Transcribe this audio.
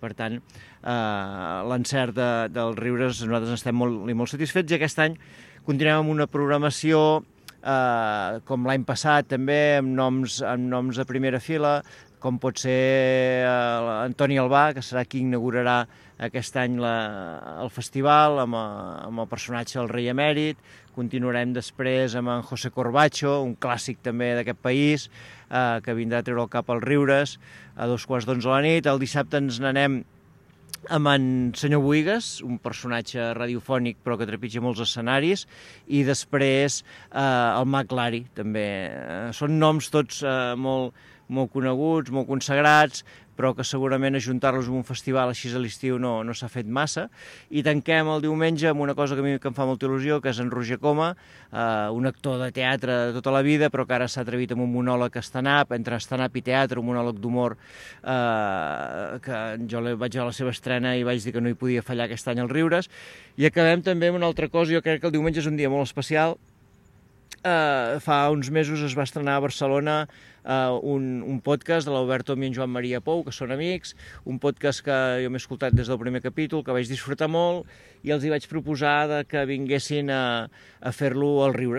Per tant, l'encert dels Riures nosaltres estem molt satisfets i aquest any continuem amb una programació com l'any passat també, amb noms de primera fila, com pot ser Antoni Albà, que serà qui inaugurarà aquest any el festival amb el personatge del rei emèrit. Continuarem després amb en José Corbacho, un clàssic també d'aquest país, que vindrà a treure el cap als Riures a 2:15 de la nit. El dissabte ens n'anem amb en senyor Buigas, un personatge radiofònic però que trepitja molts escenaris, i després el Mag Lari, també. Són noms tots molt coneguts, molt consagrats, però que segurament ajuntar-los en un festival així a l'estiu no s'ha fet massa. I tanquem el diumenge amb una cosa que a mi em fa molta il·lusió, que és en Roger Coma, un actor de teatre de tota la vida, però que ara s'ha atrevit amb un monòleg stand-up, entre stand-up i teatre, un monòleg d'humor, que jo vaig veure la seva estrena i vaig dir que no hi podia fallar aquest any als Riures. I acabem també amb una altra cosa, jo crec que el diumenge és un dia molt especial. Fa uns mesos es va estrenar a Barcelona un podcast de l'Alberto i en Joan Maria Pou, que són amics, un podcast que jo m'he escoltat des del primer capítol, que vaig disfrutar molt, i els hi vaig proposar que vinguessin a fer-lo als Riures,